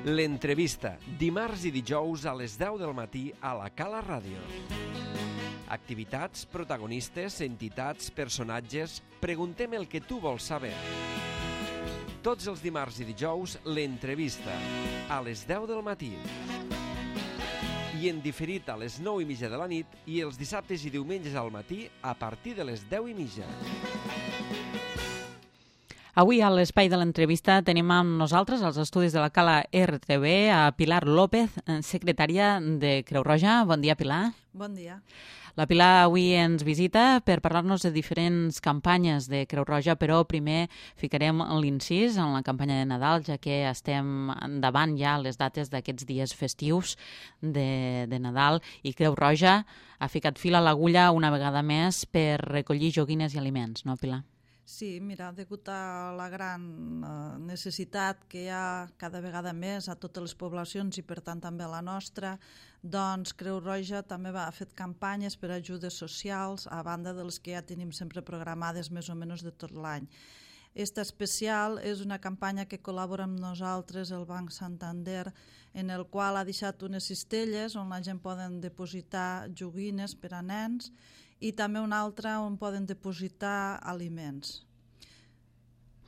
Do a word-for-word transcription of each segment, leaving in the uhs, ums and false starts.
L'entrevista, dimarts i dijous a les deu del matí a la Cala Ràdio. Activitats, protagonistes, entitats, personatges... Preguntem el que tu vols saber. Tots els dimarts i dijous, l'entrevista, a les deu del matí. I en diferit a les nou i mitja de la nit i els dissabtes i diumenges al matí a partir de les deu i mitja. Avui a l'espai de l'entrevista tenim amb nosaltres als estudis de la Cala R T V a Pilar López, secretària de Creu Roja. Bon dia, Pilar. Bon dia. La Pilar avui ens visita per parlar-nos de diferents campanyes de Creu Roja, però primer ficarem l'incís en la campanya de Nadal, ja que estem endavant ja les dates d'aquests dies festius de, de Nadal, i Creu Roja ha ficat fil a l'agulla una vegada més per recollir joguines i aliments, no, Pilar? Sí, mira, degut a la gran eh, necessitat que hi ha cada vegada més a totes les poblacions i per tant també a la nostra, doncs Creu Roja també ha fet campanyes per ajudes socials a banda de les que ja tenim sempre programades més o menys de tot l'any. Esta especial és una campanya que col·labora amb nosaltres el Banc Santander, en el qual ha deixat unes cistelles on la gent poden depositar joguines per a nens i també una altra on poden depositar aliments.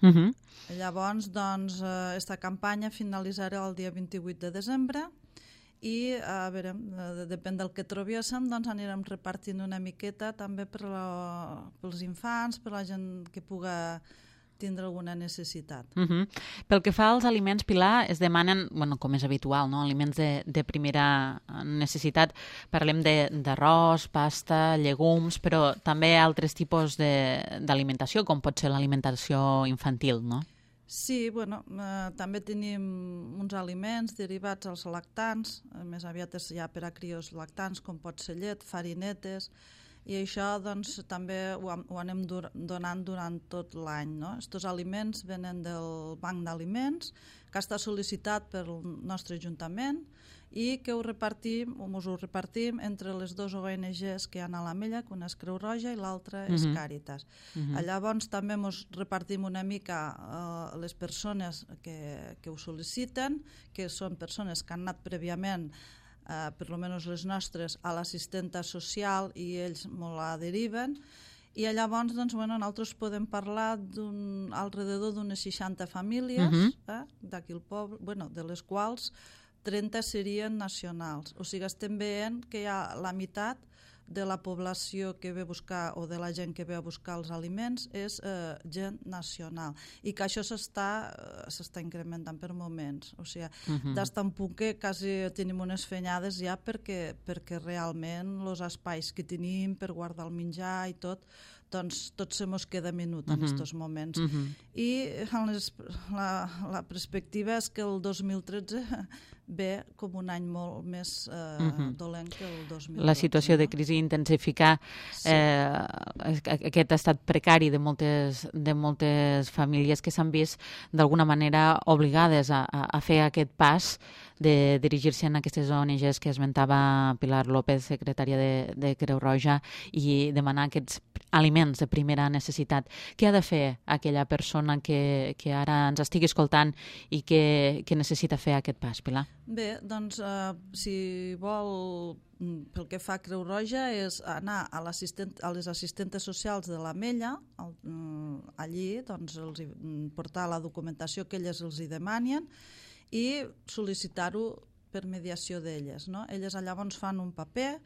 Uh -huh. Llavors, doncs, eh, esta campanya finalitzarà el dia vint-i-vuit de desembre i, a veure, eh, depèn del que trobéssim, doncs anirem repartint una miqueta també per la, pels infants, per la gent que puga tindre alguna necessitat. Uh -huh. Pel que fa als aliments, Pilar, es demanen, bueno, com és habitual, no? Aliments de, de primera necessitat. Parlem d'arròs, pasta, llegums, però també altres tipus d'alimentació, com pot ser l'alimentació infantil, no? Sí, bueno, eh, també tenim uns aliments derivats als lactants, més aviat és ja per a crios lactants, com pot ser llet, farinetes, i això doncs, també ho, ho anem dur, donant durant tot l'any. No? Estos aliments venen del Banc d'Aliments, que està sol·licitat pel nostre Ajuntament i que ho repartim, us ho repartim entre les dues O N Ges que hi ha a l'Ametlla, que una és Creu Roja i l'altra és uh-huh. Càritas. Uh-huh. Llavors també ens repartim una mica uh, les persones que, que ho sol·liciten, que són persones que han anat prèviament Uh, per almenys les nostres, a l'assistenta social i ells molt la deriven i llavors doncs, bueno, nosaltres podem parlar d'un, alrededor d'unes seixanta famílies uh-huh. eh, d'aquí el poble, bueno, de les quals trenta serien nacionals, o sigui estem veient que hi ha la meitat de la població que ve a buscar o de la gent que ve a buscar els aliments és eh, gent nacional i que això s'està s'està incrementant per moments, o sigui, uh-huh. des d'un punt que quasi tenim unes fenyades ja perquè, perquè realment els espais que tenim per guardar el menjar i tot, doncs tot se mos queda minut uh-huh. en aquests moments. Uh-huh. I les, la, la perspectiva és que el dos mil tretze ve com un any molt més eh, uh-huh. dolent que el dos mil dotze. La situació de crisi intensificar sí. eh, aquest estat precari de moltes, de moltes famílies que s'han vist d'alguna manera obligades a, a, a fer aquest pas de dirigir-se a aquestes O N Ges que esmentava Pilar López, secretària de, de Creu Roja, i demanar aquests aliments de primera necessitat. Què ha de fer aquella persona que, que ara ens estigui escoltant i que, que necessita fer aquest pas, Pilar? Bé, doncs, eh, si vol, pel que fa a Creu Roja, és anar a, a les assistentes socials de l'Ametlla, allí doncs, els portar la documentació que elles els hi demanen i sol·licitar-ho per mediació d'elles. No? Elles llavors fan un paper,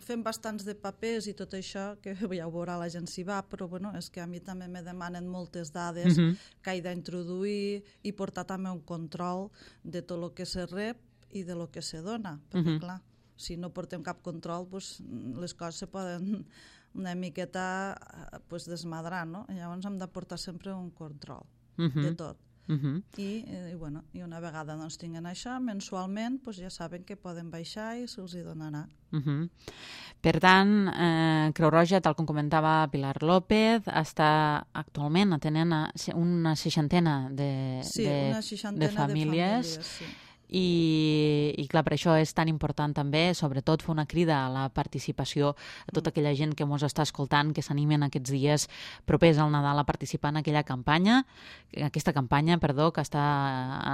fem bastants de papers i tot això, que ja ho veurà la gent si va, però bueno, és que a mi també me demanen moltes dades uh-huh. que he d'introduir i portar també un control de tot el que se rep i de lo que se dona, perquè uh-huh. clar, si no portem cap control, pues, les coses se poden una miqueta pues, desmadrar, no? Llavors hem de portar sempre un control uh-huh. de tot. Uh-huh. I, i, bueno, i una vegada doncs, tinguen això, mensualment doncs, ja saben que poden baixar i se'ls hi donarà. Uh-huh. Per tant, eh, Creu Roja, tal com comentava Pilar López, està actualment atenent a una seixantena de, sí, de, una seixantena de famílies, de famílies sí. I, i clar, per això és tan important també, sobretot, fer una crida a la participació a tota aquella gent que ens està escoltant, que s'animen aquests dies propers al Nadal a participar en aquella campanya, aquesta campanya, perdó, que està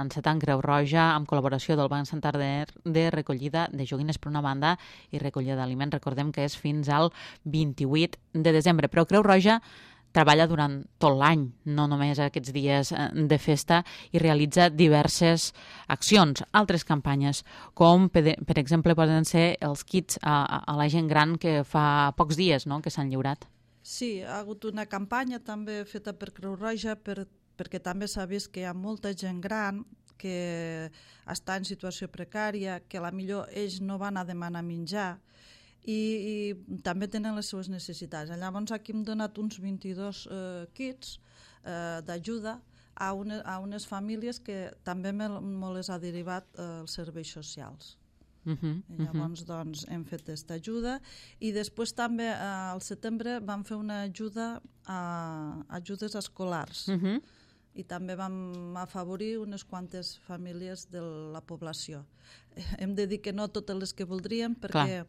encetant Creu Roja amb col·laboració del Banc Santander de recollida de joguines per una banda i recollida d'aliments. Recordem que és fins al vint-i-vuit de desembre, però Creu Roja treballa durant tot l'any, no només aquests dies de festa, i realitza diverses accions, altres campanyes, com per, per exemple poden ser els kits a, a la gent gran que fa pocs dies, no?, que s'han lliurat. Sí, ha hagut una campanya també feta per Creu Roja per, perquè també s'ha vist que hi ha molta gent gran que està en situació precària, que a la millor ells no van a demanar menjar, I, i també tenen les seves necessitats. Llavors aquí hem donat uns vint-i-dos eh, kits eh, d'ajuda a, une, a unes famílies que també me, me les ha derivat eh, els serveis socials. Uh -huh, I llavors uh -huh. doncs, hem fet aquesta ajuda i després també eh, al setembre vam fer una ajuda a, a ajudes escolars. Uh -huh. I també vam afavorir unes quantes famílies de la població. Hem de dir que no totes les que voldríem perquè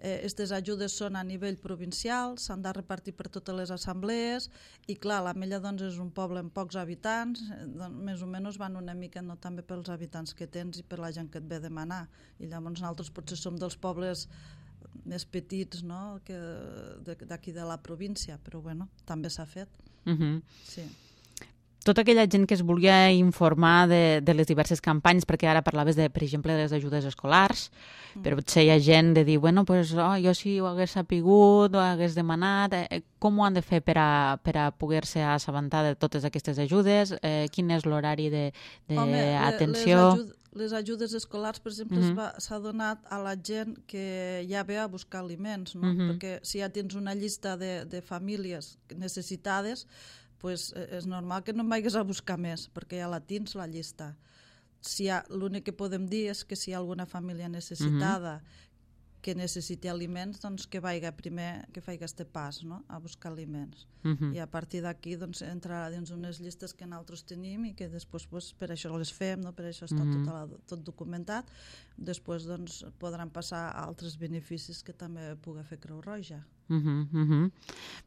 aquestes eh, ajudes són a nivell provincial, s'han de repartir per totes les assemblees i clar, l'Ametlla doncs, és un poble amb pocs habitants, eh, doncs, més o menys van una mica no, també pels habitants que tens i per la gent que et ve a demanar. I llavors nosaltres potser som dels pobles més petits, no?, que d'aquí de la província, però bueno, també s'ha fet. Uh-huh. Sí. Tota aquella gent que es volia informar de, de les diverses campanyes, perquè ara parlaves, de, per exemple, de les ajudes escolars, mm. però potser hi ha gent de dir, bueno, pues, oh, jo si ho hagués sapigut, ho hagués demanat, eh, com ho han de fer per a, per a poder-se assabentar de totes aquestes ajudes? Eh, quin és l'horari d'atenció? Les, les ajudes escolars, per exemple, mm-hmm. s'ha donat a la gent que ja ve a buscar aliments, no? Mm-hmm. Perquè si ja tens una llista de, de famílies necessitades, pues és normal que no em vagis a buscar més, perquè ja la tens, la llista. Si l'únic que podem dir és que si hi ha alguna família necessitada uh-huh. que necessiti aliments, doncs que vagi primer, que faci aquest pas, no?, a buscar aliments. Uh-huh. I a partir d'aquí doncs, entrarà dins unes llistes que nosaltres tenim i que després pues, per això les fem, no? Per això està uh-huh. tot, la, tot documentat. Després doncs, podran passar a altres beneficis que també pugui fer Creu Roja. Uh-huh, uh-huh.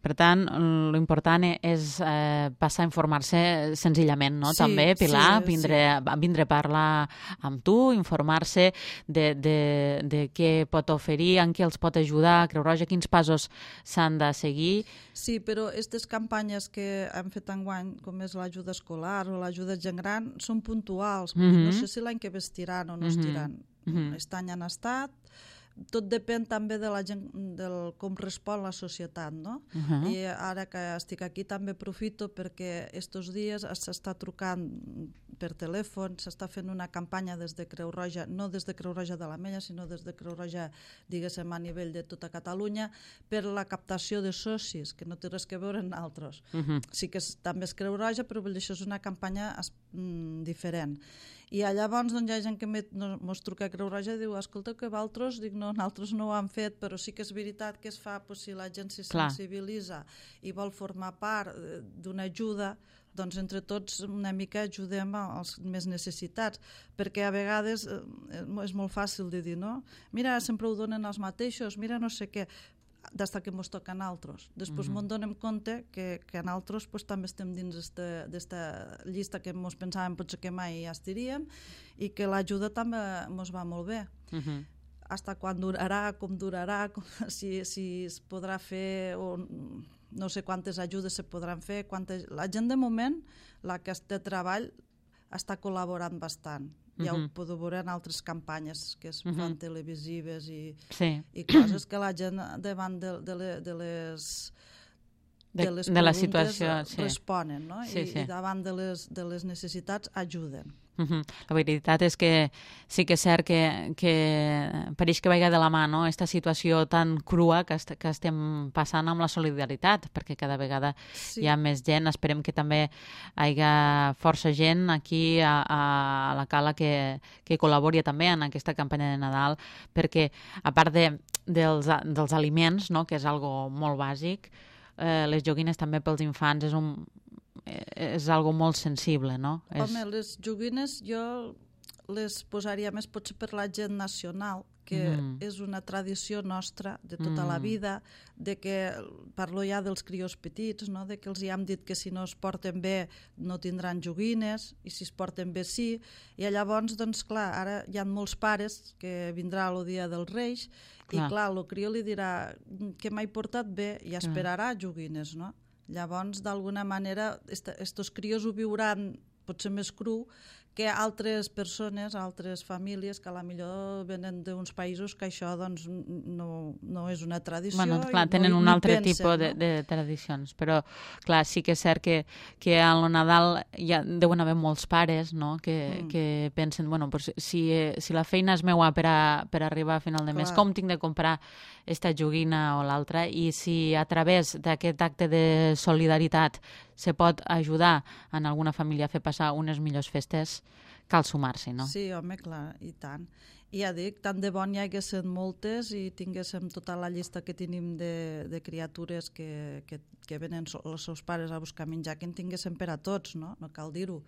Per tant, l'important és eh, passar a informar-se senzillament, no? Sí, també, Pilar, sí, vindre, sí. vindre a parlar amb tu, informar-se de, de, de què pot oferir, en què els pot ajudar Creu Roja, quins passos s'han de seguir. Sí, però aquestes campanyes que hem fet enguany, com és l'ajuda escolar o l'ajuda gent gran, són puntuals. Uh-huh. No sé si l'any que ve estiran o no uh-huh. estiran. Uh-huh. Aquest any han estat. Tot depèn també de la gent, del com respon la societat, no? Uh-huh. I ara que estic aquí també aprofito perquè estos dies s'està trucant per telèfon, s'està fent una campanya des de Creu Roja, no des de Creu Roja de l'Ametlla, sinó des de Creu Roja, diguéssim, a nivell de tota Catalunya, per la captació de socis, que no té res que veure amb altres. Uh-huh. Sí que és, també és Creu Roja, però això és una campanya mm, diferent. I llavors doncs, hi ha gent que ens truca a Creu Roja i diu, escolta, que vosaltres, dic, no, nosaltres no ho han fet, però sí que és veritat que es fa, pues, si la gent se sensibilitza i vol formar part d'una ajuda, doncs entre tots una mica ajudem als més necessitats, perquè a vegades és molt fàcil de dir, no? Mira, sempre ho donen els mateixos, mira no sé què, des que ens toca a nosaltres. Després mm-hmm. ens donem compte que, que a nosaltres pues, també estem dins d'aquesta llista que ens pensàvem potser que mai ja estiríem i que l'ajuda també ens va molt bé. Mm-hmm. Hasta quan durarà, com durarà, com, si, si es podrà fer o no sé quantes ajudes se podran fer. Quantes... La gent de moment, la que té treball, està col·laborant bastant. Ja uh-huh. ho podeu veure en altres campanyes que es fan uh-huh. televisives i, sí. i coses que la gent davant de, de, le, de les de, de les de la situació sí. responen, no? Sí, I, sí. i davant de les, de les necessitats ajuden. Uh-huh. La veritat és que sí que és cert que, que pareix que vagi de la mà, no? Aquesta situació tan crua que, est que estem passant amb la solidaritat, perquè cada vegada sí. hi ha més gent. Esperem que també hi hagi força gent aquí a, a la Cala que, que col·labori també en aquesta campanya de Nadal, perquè a part de, dels, dels aliments, no? Que és algo molt bàsic, eh, les joguines també pels infants és un és algo molt sensible, no? Home, les joguines jo les posaria més potser per la gent nacional, que mm. és una tradició nostra de tota mm. la vida, de que parlo ja dels crios petits, no? De que els hi hem dit que si no es porten bé no tindran joguines, i si es porten bé sí, i llavors, doncs clar, ara hi ha molts pares que vindrà el dia dels Reis, clar. I clar, el crió li dirà que m'he portat bé i esperarà joguines, no? Llavors, d'alguna manera, estos crios ho viuran potser més cru que altres persones, altres famílies que a la millor venen d'uns països que això doncs, no, no és una tradició. Bueno, clar, tenen no, un altre pensen, tipus de, no? de tradicions, però clar, sí que és cert que, que a lo Nadal ja deuen haver molts pares, no? que, mm. que pensen, bueno, pues, si, si la feina és meua per, a, per arribar a final de mes, clar. Com tinc de comprar esta joguina o l'altra? I si a través d'aquest acte de solidaritat se pot ajudar en alguna família a fer passar unes millors festes, cal sumar-s'hi, no? Sí, home, clar, i tant. I ja dic, tant de bon hi haguessin moltes i tinguéssim tota la llista que tenim de, de criatures que, que, que venen els seus pares a buscar menjar, que en tinguéssim per a tots, no? No cal dir-ho.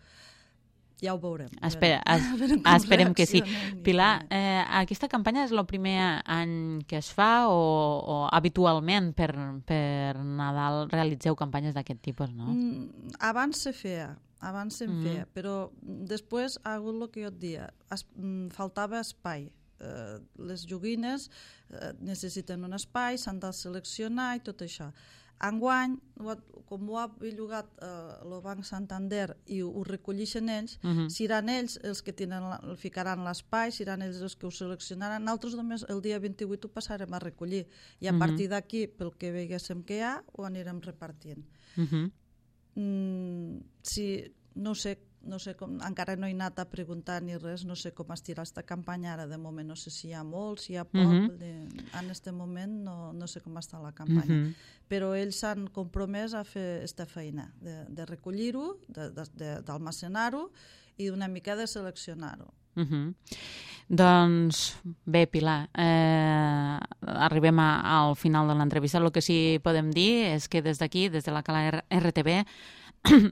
Ja ho veurem. Espera, es, esperem que sí. Pilar, eh, aquesta campanya és el primer any que es fa o, o habitualment per, per Nadal realitzeu campanyes d'aquest tipus, no? Mm, abans se feia, abans se'n mm. feia, però després ha hagut el que jo et dia, es, mm, faltava espai. Eh, les joguines eh, necessiten un espai, s'han de seleccionar i tot això. Enguany, com ho ha bellugat el eh, Banc Santander i ho, ho recollixen ells, uh -huh. seran ells els que tenen la, el ficaran l'espai, seran ells els que ho seleccionaran. Nosaltres només el dia vint-i-vuit ho passarem a recollir i a uh -huh. partir d'aquí, pel que veiguéssim que hi ha, ho anirem repartint. Uh -huh. mm, si, no sé, no sé com, encara no he anat a preguntar ni res, no sé com estirà aquesta campanya ara, de moment no sé si hi ha molt, si hi ha poc, uh -huh. de, en aquest moment no, no sé com està la campanya, uh -huh. però ells s'han compromès a fer aquesta feina, de, de recollir-ho, d'almacenar-ho i una mica de seleccionar-ho. Uh -huh. Doncs bé, Pilar, eh, arribem a, al final de l'entrevista. El que sí podem dir és que des d'aquí, des de la Cala R T V,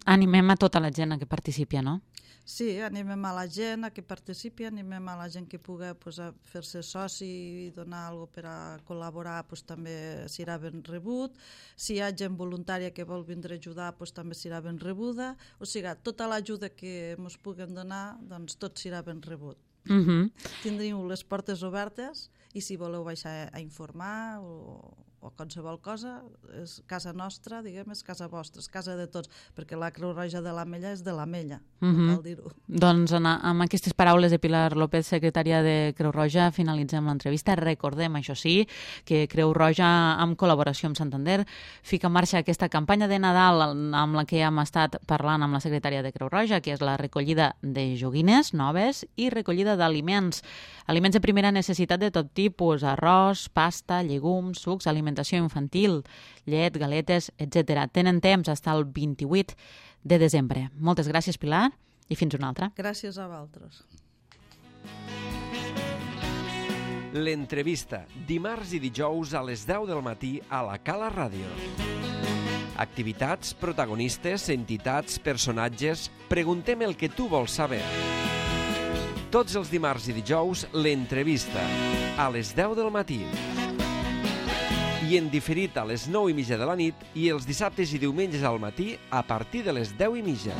animem a tota la gent a que participi, no? Sí, animem a la gent a que participi, animem a la gent que pugui pues, fer-se soci i donar alguna cosa per a col·laborar, pues, també serà ben rebut. Si hi ha gent voluntària que vol vindre a ajudar, pues, també serà ben rebuda. O sigui, tota l'ajuda que ens puguem donar, doncs tot serà ben rebut. Uh-huh. Tindríem les portes obertes i si voleu baixar a informar o, o qualsevol cosa, és casa nostra, diguem, és casa vostra, és casa de tots, perquè la Creu Roja de l'Ametlla és de l'Ametlla, uh-huh. no cal dir-ho. Doncs en, amb aquestes paraules de Pilar López, secretària de Creu Roja, finalitzem l'entrevista. Recordem, això sí, que Creu Roja, en col·laboració amb Santander, fica en marxa aquesta campanya de Nadal amb la que hem estat parlant amb la secretària de Creu Roja, que és la recollida de joguines noves i recollida d'aliments, aliments de primera necessitat de tot tipus, arròs, pasta, llegums, sucs, alimentació infantil, llet, galetes, etcètera. Tenen temps fins al vint-i-vuit de desembre. Moltes gràcies, Pilar, i fins una altra. Gràcies a vosaltres. L'entrevista, dimarts i dijous a les deu del matí a la Cala Ràdio. Activitats, protagonistes, entitats, personatges... Preguntem el que tu vols saber. Tots els dimarts i dijous, l'entrevista, a les deu del matí. I en diferit a les nou i mitja de la nit i els dissabtes i diumenges al matí a partir de les deu i mitja.